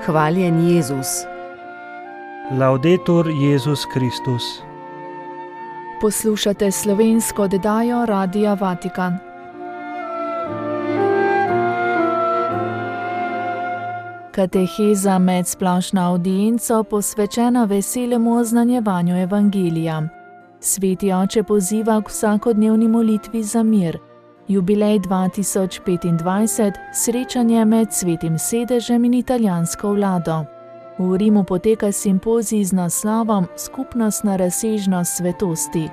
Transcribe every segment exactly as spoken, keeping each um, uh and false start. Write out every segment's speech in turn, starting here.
Hvaljen Jezus. Laudetur Jezus Kristus. Poslušate slovensko oddajo Radia Vatikan. Kateheza med splošno avdienco posvečena veselemu oznanjevanju evangelija. Sveti oče poziva k vsakodnevni molitvi za mir. Jubilej dva tisoč petindvajset, srečanje med Svetim sedežem in italijansko vlado. V Rimu poteka simpozij z naslovom Skupnostna razsežnost svetosti.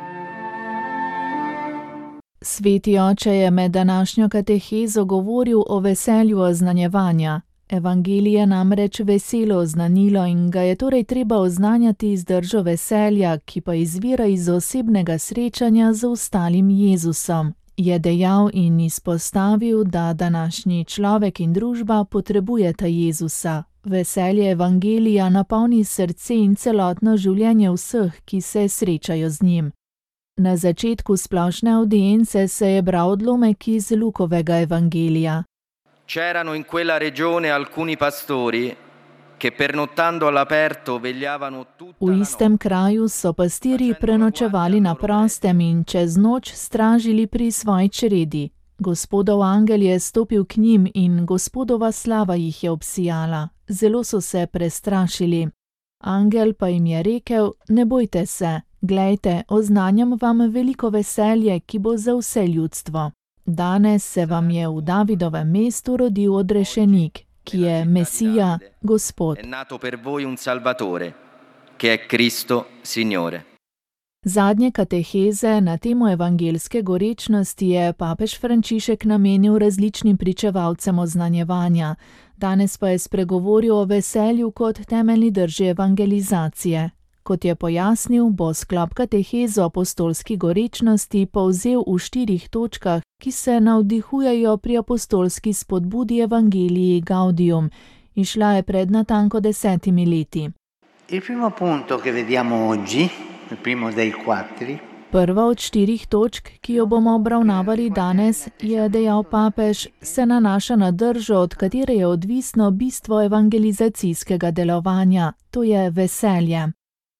Sveti oče je med današnjo katehezo govoril o veselju oznanjevanja. Evangelij je namreč veselo oznanilo in ga je torej treba oznanjati z držo veselja, ki pa izvira iz osebnega srečanja z ostalim Jezusom, je dejal in izpostavil, da današnji človek in družba potrebujeta Jezusa. Veselje evangelija napolni srce in celotno življenje vseh, ki se srečajo z njim. Na začetku splošne avdience se je bral odlomek iz Lukovega evangelija. C'erano in quella regione alcuni pastori che pernottando all'aperto vegliavano tutta V la istem notte. kraju so pastirji prenočevali na prostem in čez noč stražili pri svoji čredi. Gospodov angel je stopil k njim in Gospodova slava jih je obsijala. Zelo so se prestrašili. Angel pa jim je rekel: ne bojte se, glejte, oznanjam vam veliko veselje, ki bo za vse ljudstvo. Danes se vam je v Davidovem mestu rodil odrešenik, ki je Mesija, Gospod. È nato per voi un Salvatore, che è Cristo Signore. Zadnje kateheze na temo evangelske gorečnosti je papež Frančišek namenil različnim pričevalcem oznanjevanja. Danes pa je spregovoril o veselju kot temeljni drži evangelizacije. Kot je pojasnil, bo sklop kateheze o apostolski gorečnosti povzel v štirih točkah, ki se navdihujejo pri apostolski spodbudi Evangelii Gaudium. Išla je pred natanko desetimi leti. Il primo punto che vediamo oggi, il primo dei quattro, Prva od štirih točk, ki jo bomo obravnavali danes, je dejal papež, se nanaša na držo, od katere je odvisno bistvo evangelizacijskega delovanja, to je veselje.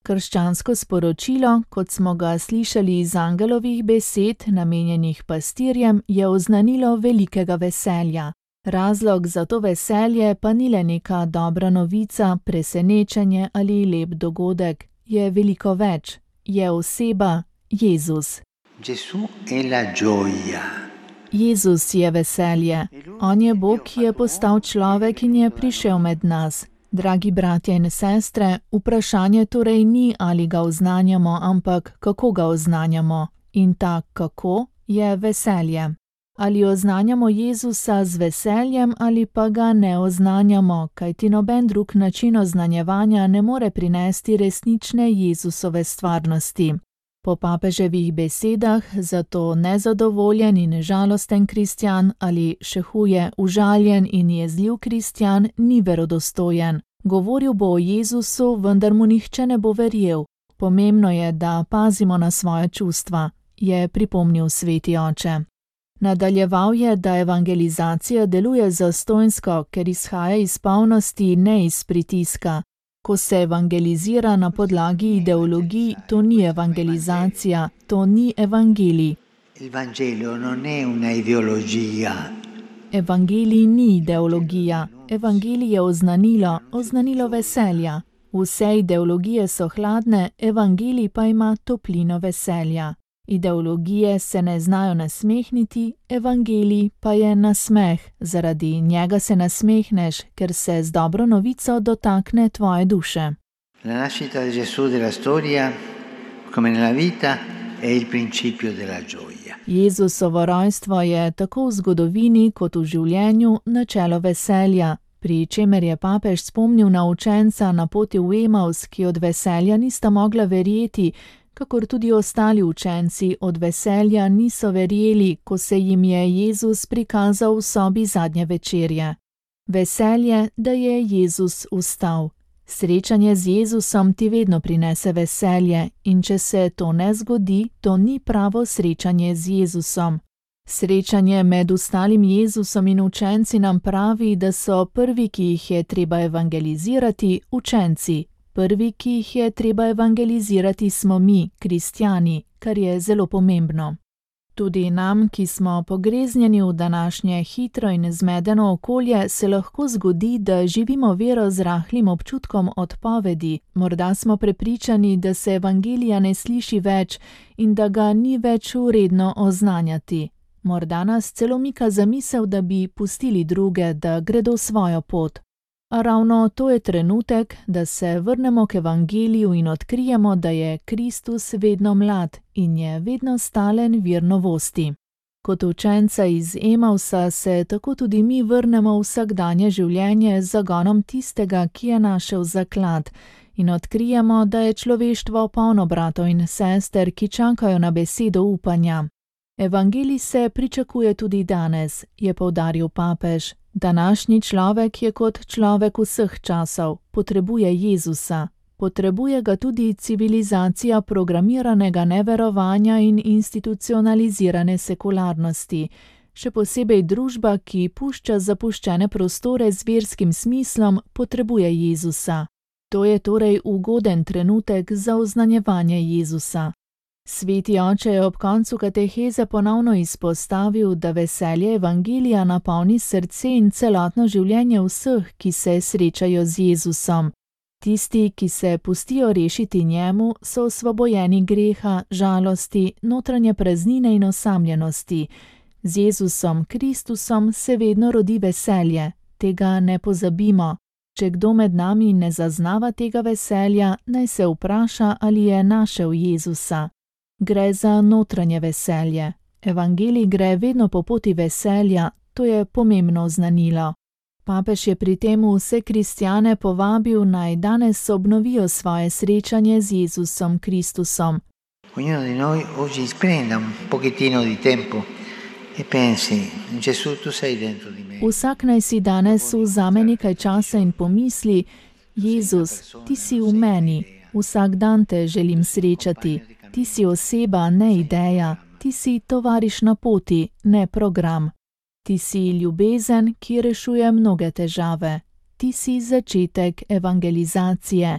Krščansko sporočilo, kot smo ga slišali iz angelovih besed, namenjenih pastirjem, je oznanilo velikega veselja. Razlog za to veselje pa ni le neka dobra novica, presenečenje ali lep dogodek, je veliko več. Je oseba Jezus. Gesù è la gioia. Jezus je veselje. On je Bog, ki je postal človek in je prišel med nas. Dragi bratje in sestre, vprašanje torej ni, ali ga oznanjamo, ampak kako ga oznanjamo. In ta kako je veselje. Ali oznanjamo Jezusa z veseljem ali pa ga ne oznanjamo, kajti noben drug način oznanjevanja ne more prinesti resnične Jezusove stvarnosti. Po papeževih besedah zato nezadovoljen in žalosten kristjan ali še huje užaljen in jezljiv kristjan ni verodostojen. Govoril bo o Jezusu, vendar mu nihče ne bo verjel. Pomembno je, da pazimo na svoje čustva, je pripomnil sveti oče. Nadaljeval je, da evangelizacija deluje zastonjsko, ker izhaja iz polnosti, ne iz pritiska. Ko se evangelizira na podlagi ideologij, to ni evangelizacija, to ni evangelij. Il Vangelo non è una ideologia. Evangelij ni ideologija. Evangelij je oznanilo, oznanilo veselja. Vse ideologije so hladne, evangelij pa ima toplino veselja. Ideologije se ne znajo nasmehniti, evangelij pa je nasmeh. Zaradi njega se nasmehneš, ker se z dobro novico dotakne tvoje duše. La nascita di Gesù della storia, come nella vita, è il principio della gioia. Jezusovo rojstvo je tako v zgodovini kot v življenju načelo veselja, pri čemer je papež spomnil na učenca na poti v Emaus, ki od veselja nista mogla verjeti, kakor tudi ostali učenci od veselja niso verjeli, ko se jim je Jezus prikazal v sobi zadnje večerje. Veselje, da je Jezus vstal. Srečanje z Jezusom ti vedno prinese veselje in če se to ne zgodi, to ni pravo srečanje z Jezusom. Srečanje med ostalim Jezusom in učenci nam pravi, da so prvi, ki jih je treba evangelizirati, učenci. Prvi, ki jih je treba evangelizirati, smo mi, kristjani, kar je zelo pomembno. Tudi nam, ki smo pogreznjeni v današnje hitro in zmedeno okolje, se lahko zgodi, da živimo vero z rahlim občutkom odpovedi. Morda smo prepričani, da se evangelija ne sliši več in da ga ni več vredno oznanjati. Morda nas celo mika zamisel, da bi pustili druge, da gredo svojo pot. A ravno to je trenutek, da se vrnemo k evangeliju in odkrijemo, da je Kristus vedno mlad in je vedno stalen vir novosti. Kot učenca iz Emausa se tako tudi mi vrnemo v vsakdanje življenje z zagonom tistega, ki je našel zaklad, in odkrijemo, da je človeštvo polno bratov in sester, ki čakajo na besedo upanja. Evangelij se pričakuje tudi danes, je poudaril papež. Današnji človek je kot človek vseh časov, potrebuje Jezusa. Potrebuje ga tudi civilizacija programiranega neverovanja in institucionalizirane sekularnosti, še posebej družba, ki pušča zapuščene prostore z verskim smislom, potrebuje Jezusa. To je torej ugoden trenutek za oznanjevanje Jezusa. Sveti oče je ob koncu kateheze ponovno izpostavil, da veselje evangelija napolni srce in celotno življenje vseh, ki se srečajo z Jezusom. Tisti, ki se pustijo rešiti njemu, so osvobojeni greha, žalosti, notranje praznine in osamljenosti. Z Jezusom Kristusom se vedno rodi veselje, tega ne pozabimo. Če kdo med nami ne zaznava tega veselja, naj se vpraša, ali je našel Jezusa. Gre za notranje veselje. Evangelij gre vedno po poti veselja, to je pomembno oznanilo. Papež je pri tem vse kristjane povabil, naj danes obnovijo svoje srečanje z Jezusom Kristusom. Ognuno di noi oggi prenda un pochettino di tempo e pensi, Gesù, tu sei dentro di me. Vsak naj si danes vzame nekaj časa in pomisli, Jezus, ti si v meni, vsak dan te želim srečati. Ti si oseba, ne ideja, ti si tovariš na poti, ne program. Ti si ljubezen, ki rešuje mnoge težave. Ti si začetek evangelizacije.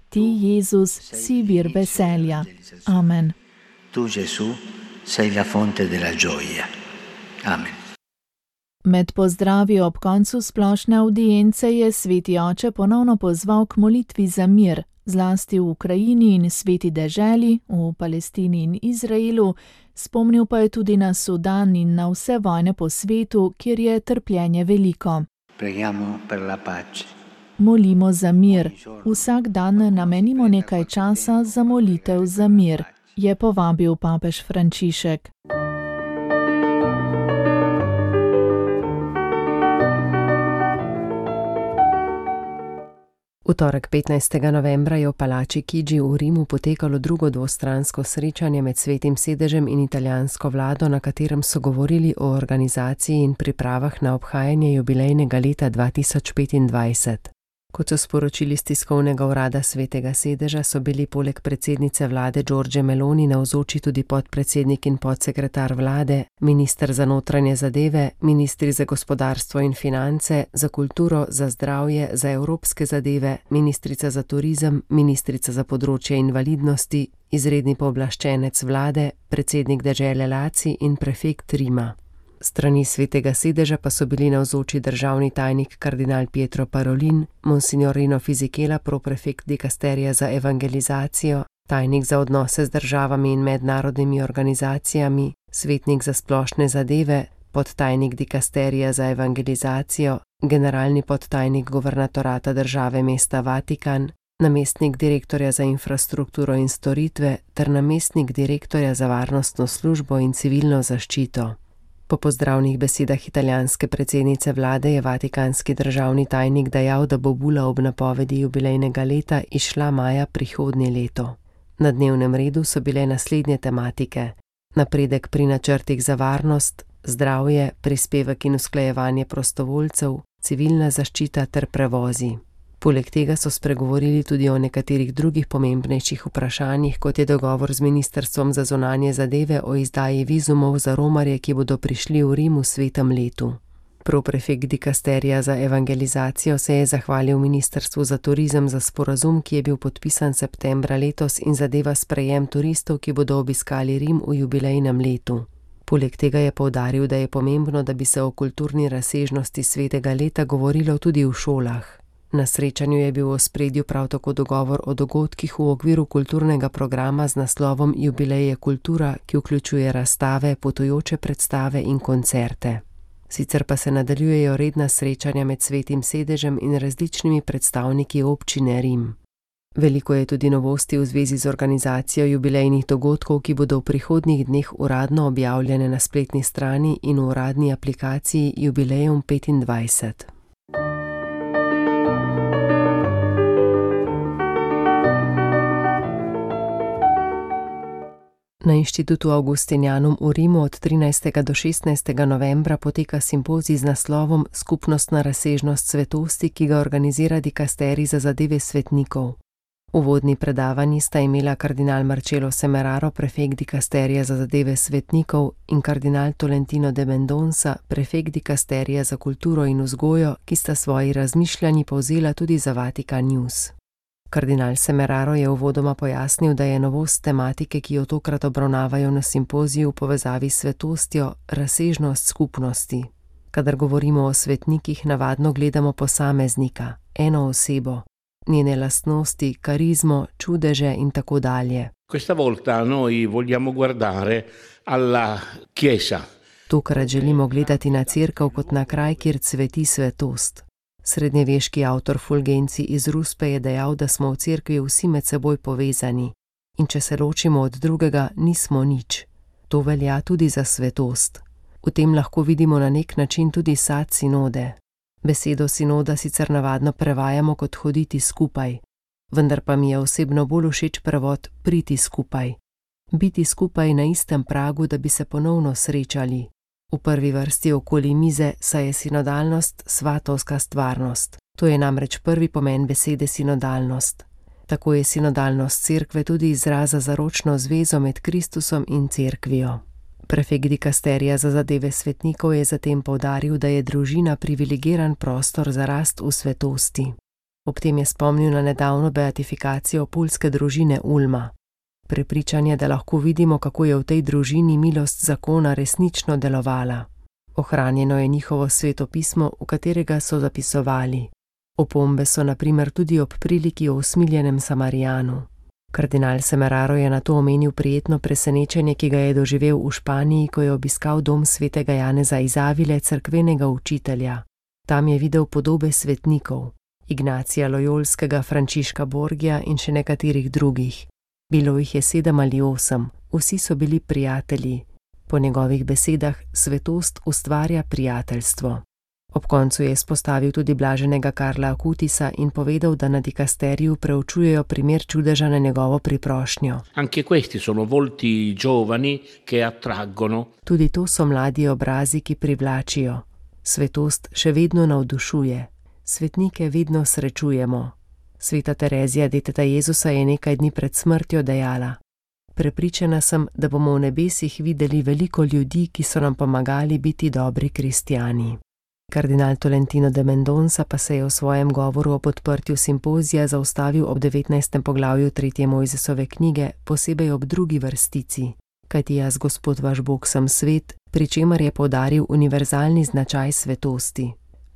Ti, Jezus, si vir veselja. Amen. Tu, Gesù, sei la fonte della gioia. Amen. Med pozdravi ob koncu splošne avdience je sveti oče ponovno pozval k molitvi za mir, zlasti v Ukrajini in sveti deželi, v Palestini in Izraelu, spomnil pa je tudi na Sudan in na vse vojne po svetu, kjer je trpljenje veliko. Preghiamo per la pace. Molimo za mir. Vsak dan namenimo nekaj časa za molitev za mir, je povabil papež Frančišek. V torek petnajstega novembra je v palači Chigi v Rimu potekalo drugo dvostransko srečanje med Svetim sedežem in italijansko vlado, na katerem so govorili o organizaciji in pripravah na obhajanje jubilejnega leta dva tisoč petindvajset. Kot so sporočili z tiskovnega urada Svetega sedeža, so bili poleg predsednice vlade Giorgie Meloni navzoči tudi podpredsednik in podsekretar vlade, minister za notranje zadeve, ministri za gospodarstvo in finance, za kulturo, za zdravje, za evropske zadeve, ministrica za turizem, ministrica za področje invalidnosti, izredni pooblaščenec vlade, predsednik dežele Laci in prefekt Rima. Strani Svetega sedeža pa so bili navzoči državni tajnik kardinal Pietro Parolin, monsignor Rino Fisichella, proprefekt dikasterija za evangelizacijo, tajnik za odnose z državami in mednarodnimi organizacijami, svetnik za splošne zadeve, podtajnik dikasterija za evangelizacijo, generalni podtajnik guvernatorata države mesta Vatikan, namestnik direktorja za infrastrukturo in storitve ter namestnik direktorja za varnostno službo in civilno zaščito. Po pozdravnih besedah italijanske predsednice vlade je vatikanski državni tajnik dejal, da bo bula ob napovedi jubilejnega leta izšla maja prihodnje leto. Na dnevnem redu so bile naslednje tematike: napredek pri načrtih za varnost, zdravje, prispevek in usklajevanje prostovoljcev, civilna zaščita ter prevozi. Poleg tega so spregovorili tudi o nekaterih drugih pomembnejših vprašanjih, kot je dogovor z Ministrstvom za zunanje zadeve o izdaji vizumov za romarje, ki bodo prišli v Rim v svetem letu. Proprefekt dikasterija za evangelizacijo se je zahvalil Ministrstvu za turizem za sporazum, ki je bil podpisan septembra letos in zadeva sprejem turistov, ki bodo obiskali Rim v jubilejnem letu. Poleg tega je poudaril, da je pomembno, da bi se o kulturni razsežnosti svetega leta govorilo tudi v šolah. Na srečanju je bil v ospredju prav tako dogovor o dogodkih v okviru kulturnega programa z naslovom Jubileje kultura, ki vključuje razstave, potujoče predstave in koncerte. Sicer pa se nadaljujejo redna srečanja med Svetim sedežem in različnimi predstavniki občine Rim. Veliko je tudi novosti v zvezi z organizacijo jubilejnih dogodkov, ki bodo v prihodnjih dneh uradno objavljene na spletni strani in v uradni aplikaciji Jubileum petindvajset. Na Inštitutu Augustinianum v Rimu od trinajstega do šestnajstega novembra poteka simpozij z naslovom Skupnostna razsežnost svetosti, ki ga organizira dikasterij za zadeve svetnikov. Uvodni predavanji sta imela kardinal Marcello Semeraro, prefekt dikasterija za zadeve svetnikov, in kardinal Tolentino de Mendonça, prefekt dikasterija za kulturo in vzgojo, ki sta svoji razmišljanji povzela tudi za Vatikan News. Kardinal Semeraro je uvodoma pojasnil, da je novost tematike, ki jo tokrat obravnavajo na simpoziju v povezavi s svetostjo, razsežnost skupnosti. Kadar govorimo o svetnikih, navadno gledamo posameznika, eno osebo, njene lastnosti, karizmo, čudeže in tako dalje. Questa volta noi vogliamo guardare alla Chiesa. Tokrat želimo gledati na cerkev kot na kraj, kjer cveti svetost. Srednjeveški avtor Fulgenci iz Ruspe je dejal, da smo v cerkvi vsi med seboj povezani in če se ločimo od drugega, nismo nič. To velja tudi za svetost. V tem lahko vidimo na nek način tudi sad sinode. Besedo sinoda sicer navadno prevajamo kot hoditi skupaj, vendar pa mi je osebno bolj všeč prevod priti skupaj. Biti skupaj na istem pragu, da bi se ponovno srečali. V prvi vrsti okoli mize, saj je sinodalnost svatovska stvarnost. To je namreč prvi pomen besede sinodalnost. Tako je sinodalnost cerkve tudi izraz za zaročno zvezo med Kristusom in cerkvijo. Prefekt dikasterija za zadeve svetnikov je zatem poudaril, da je družina privilegiran prostor za rast v svetosti. Ob tem je spomnil na nedavno beatifikacijo puljske družine Ulma. Prepričanje, da lahko vidimo, kako je v tej družini milost zakona resnično delovala. Ohranjeno je njihovo svetopismo, v katerega so zapisovali. Opombe so na primer tudi ob priliki o usmiljenem Samarijanu. Kardinal Semeraro je na to omenil prijetno presenečenje, ki ga je doživel v Španiji, ko je obiskal dom svetega Janeza iz Avile, cerkvenega učitelja. Tam je videl podobe svetnikov, Ignacija Lojolskega, Frančiška Borgija in še nekaterih drugih. Bilo jih je sedem ali osem, vsi so bili prijatelji. Po njegovih besedah svetost ustvarja prijateljstvo. Ob koncu je izpostavil tudi blaženega Karla Akutisa in povedal, da na dikasteriju preučujejo primer čudeža na njegovo priprošnjo. Anche questi sono volti giovani che attraggono. Tudi to so mladi obrazi, ki privlačijo. Svetost še vedno navdušuje. Svetnike vedno srečujemo. Sveta Terezija, deteta Jezusa, je nekaj dni pred smrtjo dejala: Prepričana sem, da bomo v nebesih videli veliko ljudi, ki so nam pomagali biti dobri kristjani. Kardinal Tolentino de Mendonça pa se je v svojem govoru ob odprtju simpozija zaustavil ob devetnajstem poglavju tretje Mojzesove knjige, posebej ob drugi vrstici. Kajti jaz, Gospod vaš Bog, sem svet, pri čemer je poudaril univerzalni značaj svetosti.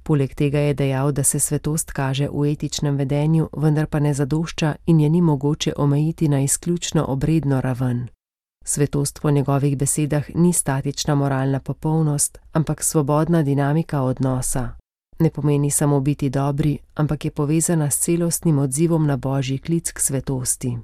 Poleg tega je dejal, da se svetost kaže v etičnem vedenju, vendar pa ne zadošča in je ni mogoče omejiti na izključno obredno raven. Svetost po njegovih besedah ni statična moralna popolnost, ampak svobodna dinamika odnosa. Ne pomeni samo biti dobri, ampak je povezana s celostnim odzivom na Božji klic k svetosti.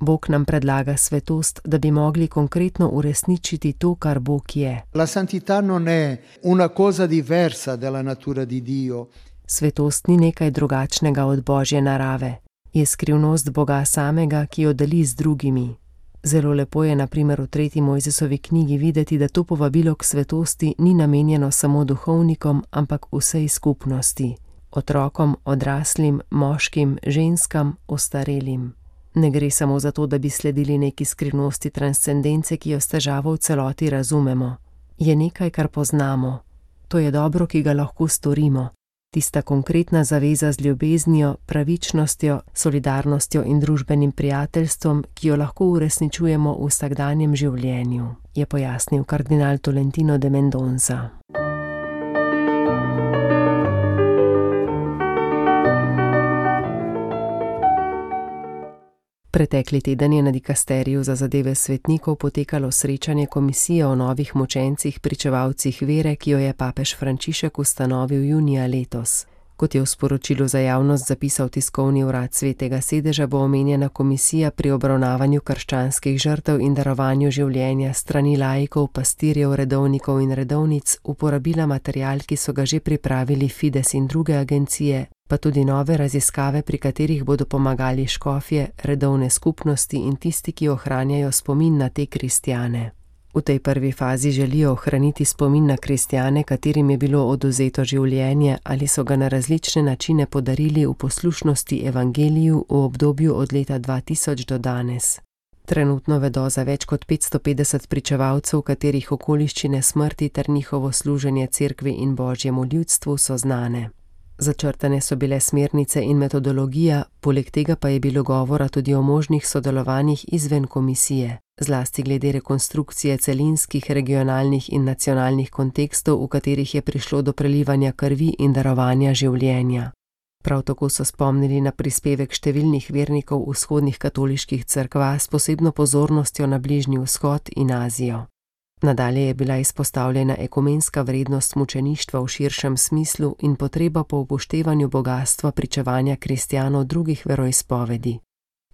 Bog nam predlaga svetost, da bi mogli konkretno uresničiti to, kar Bog je. La santità non è una cosa diversa dalla natura di Dio. Svetost ni nekaj drugačnega od Božje narave. Je skrivnost Boga samega, ki jo deli z drugimi. Zelo lepo je na primer v tretji Mojzesovi knjigi videti, da to povabilo k svetosti ni namenjeno samo duhovnikom, ampak vsej skupnosti. Otrokom, odraslim, moškim, ženskam, ostarelim. Ne gre samo za to, da bi sledili neki skrivnosti transcendence, ki jo s težavo v celoti razumemo. Je nekaj, kar poznamo. To je dobro, ki ga lahko storimo. Tista konkretna zaveza z ljubeznijo, pravičnostjo, solidarnostjo in družbenim prijateljstvom, ki jo lahko uresničujemo v vsakdanjem življenju, je pojasnil kardinal Tolentino de Mendoza. Pretekli teden je na dikasteriju za zadeve svetnikov potekalo srečanje komisije o novih mučencih pričevalcih vere, ki jo je papež Frančišek ustanovil junija letos. Kot je v sporočilu za javnost zapisal tiskovni urad Svetega sedeža, bo omenjena komisija pri obravnavanju krščanskih žrtev in darovanju življenja strani laikov, pastirjev, redovnikov in redovnic uporabila material, ki so ga že pripravili Fides in druge agencije, pa tudi nove raziskave, pri katerih bodo pomagali škofje, redovne skupnosti in tisti, ki ohranjajo spomin na te kristjane. V tej prvi fazi želijo ohraniti spomin na kristjane, katerim je bilo odvzeto življenje ali so ga na različne načine podarili v poslušnosti evangeliju v obdobju od leta dva tisoč do danes. Trenutno vedo za več kot petsto petdeset pričevalcev, katerih okoliščine smrti ter njihovo služenje cerkvi in božjemu ljudstvu so znane. Začrtane so bile smernice in metodologija, poleg tega pa je bilo govora tudi o možnih sodelovanjih izven komisije, zlasti glede rekonstrukcije celinskih, regionalnih in nacionalnih kontekstov, v katerih je prišlo do prelivanja krvi in darovanja življenja. Prav tako so spomnili na prispevek številnih vernikov vzhodnih katoliških cerkva s posebno pozornostjo na Bližnji vzhod in Azijo. Nadalje je bila izpostavljena ekumenska vrednost mučeništva v širšem smislu in potreba po upoštevanju bogastva pričevanja kristjanov drugih veroizpovedi.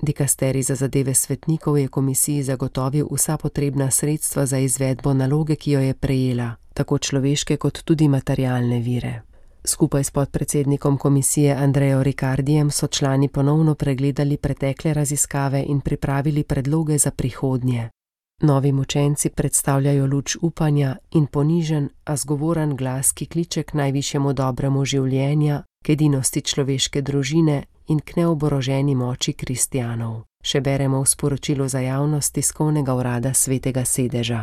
Dikasterij za zadeve svetnikov je komisiji zagotovil vsa potrebna sredstva za izvedbo naloge, ki jo je prejela, tako človeške kot tudi materialne vire. Skupaj s podpredsednikom komisije Andrejo Ricardijem so člani ponovno pregledali pretekle raziskave in pripravili predloge za prihodnje. Novi mučenci predstavljajo luč upanja in ponižen, a zgovoren glas, ki kliče k najvišjemu dobremu življenja, k edinosti človeške družine in k neoboroženi moči kristjanov. Še beremo v sporočilu za javnost tiskovnega urada Svetega sedeža.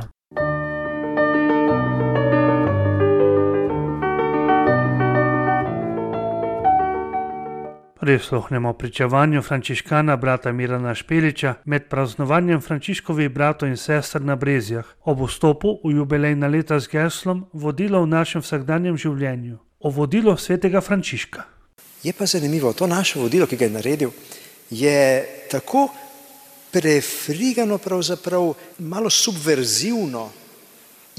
Prisluhnemo pričevanju frančiškana brata Mirana Špeliča med praznovanjem Frančiškovih bratov in sester na Brezjah ob vstopu v jubilejna leta z geslom Vodilo v našem vsakdanjem življenju, o vodilo svetega Frančiška. Je pa zanimivo, to naše vodilo, ki ga je naredil, je tako prefrigano, pravzaprav malo subverzivno,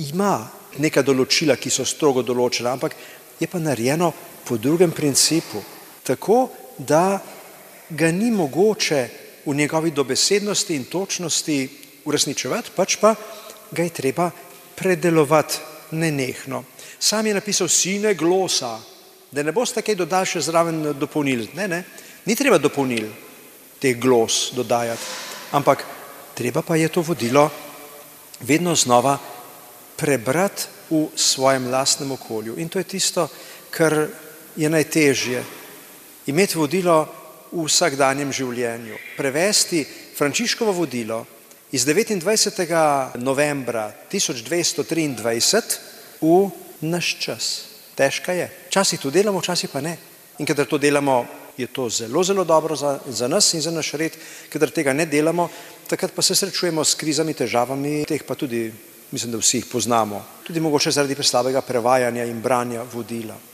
ima neka določila, ki so strogo določena, ampak je pa narejeno po drugem principu, tako da ga ni mogoče v njegovi dobesednosti in točnosti uresničevati, pač pa ga je treba predelovati nenehno. Sam je napisal sine glosa, da ne boste kaj dodali še zraven dopolnil. Ne, ne, ni treba dopolnil teh glos dodajati, ampak treba pa je to vodilo vedno znova prebrati v svojem lastnem okolju. In to je tisto, kar je najtežje. Imeti vodilo v vsakdanjem življenju. Prevesti Frančiškovo vodilo iz devetindvajsetega novembra tisoč dvesto triindvajset v naš čas. Težka je. Včasih to delamo, včasih pa ne. In kadar to delamo, je to zelo, zelo dobro za, za nas in za naš red. Kadar tega ne delamo, takrat pa se srečujemo s krizami, težavami, teh pa tudi, mislim, da vsi jih poznamo. Tudi mogoče zaradi preslabega prevajanja in branja vodila.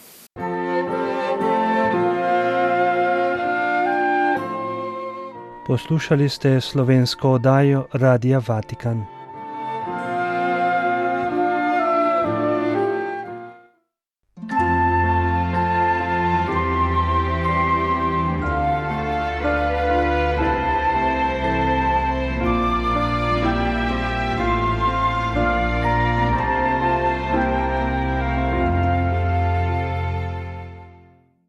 Poslušali ste slovensko oddajo Radia Vatikan.